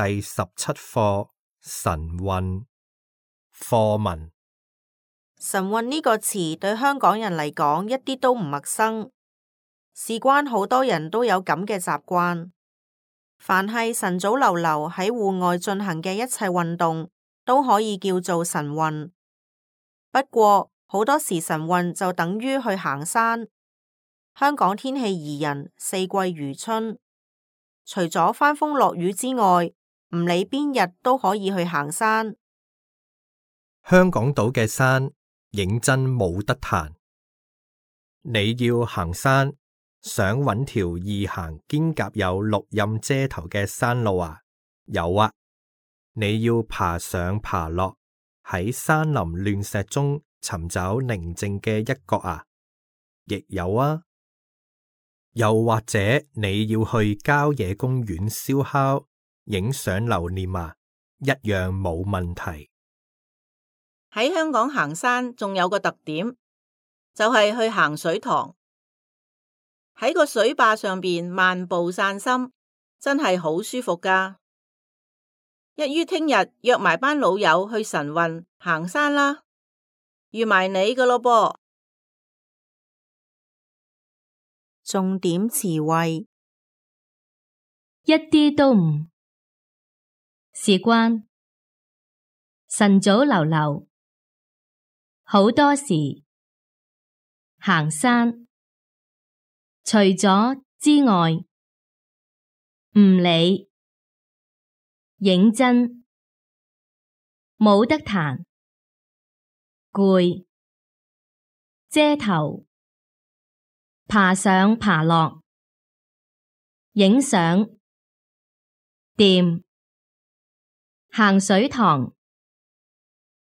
第17課晨運課文。晨運呢個詞對香港人嚟講一啲都唔陌生，事關好多人都有咁嘅習慣。凡係晨早流流喺戶外進行嘅一切運動，都可以叫做晨運。不過好多時晨運就等於去行山。香港天氣宜人，四季如春，除咗翻風落雨之外，唔理邊日都可以去行山。香港島嘅山認真冇得彈。你要行山，想搵條易行兼夾有綠蔭遮頭嘅山路啊？有啊！你要爬上爬落，喺山林亂石中尋找寧靜嘅一角啊？亦有啊！又或者你要去郊野公園燒烤、影相留念啊？一樣冇問題。喺香港行山仲有個特點，就係去行水塘，喺個水壩上邊漫步散心，真係好舒服㗎。一於聽日約埋班老友去晨運行山啦，預埋你㗎咯噃。重點詞彙：一啲都唔。事關晨早流流，好多時行山，除咗之外，唔理，認真，冇得彈，攰，遮頭，爬上爬落，影相，掂，行水塘，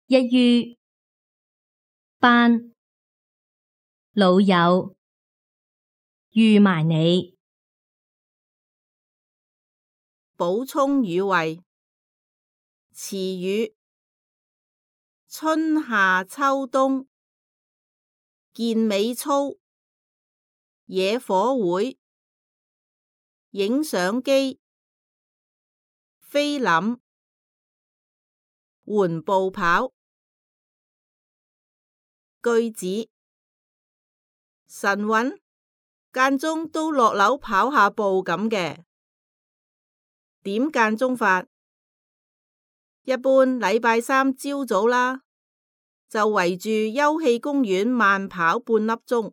一於，班，老友，預埋你。補充語彙：詞語：春夏秋冬，健美操，野火會，影相機，菲林，緩步跑。句子：晨運，間中都落樓跑下步咁嘅。點間中法？一般禮拜三朝早啦，就圍住休憩公園慢跑半粒鐘。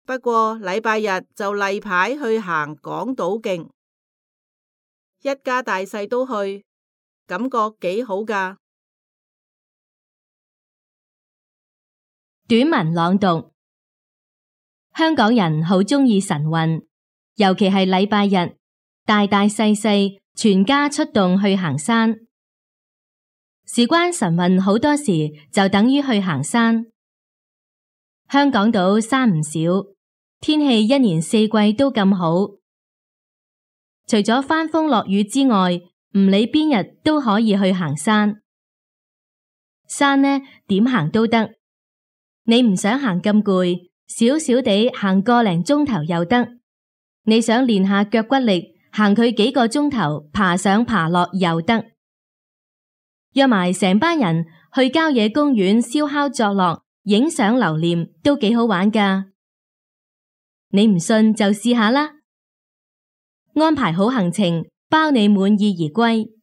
不過禮拜日就例牌去行港島徑，一家大細都去，感覺幾好㗎。短文朗讀：香港人好鍾意晨運，尤其係禮拜日，大大細細全家出動去行山。事關晨運好多時就等於去行山。香港島山唔少，天氣一年四季都咁好。除咗翻風落雨之外，唔理邊日都可以去行山。山呢，點行都得。你唔想行咁攰，少少地行個零鐘頭又得。你想練下腳骨力，行佢幾個鐘頭，爬上爬落又得。約埋成班人去郊野公園燒烤作樂，影相留念都幾好玩㗎。你唔信就試下啦。安排好行程，包你滿意而歸。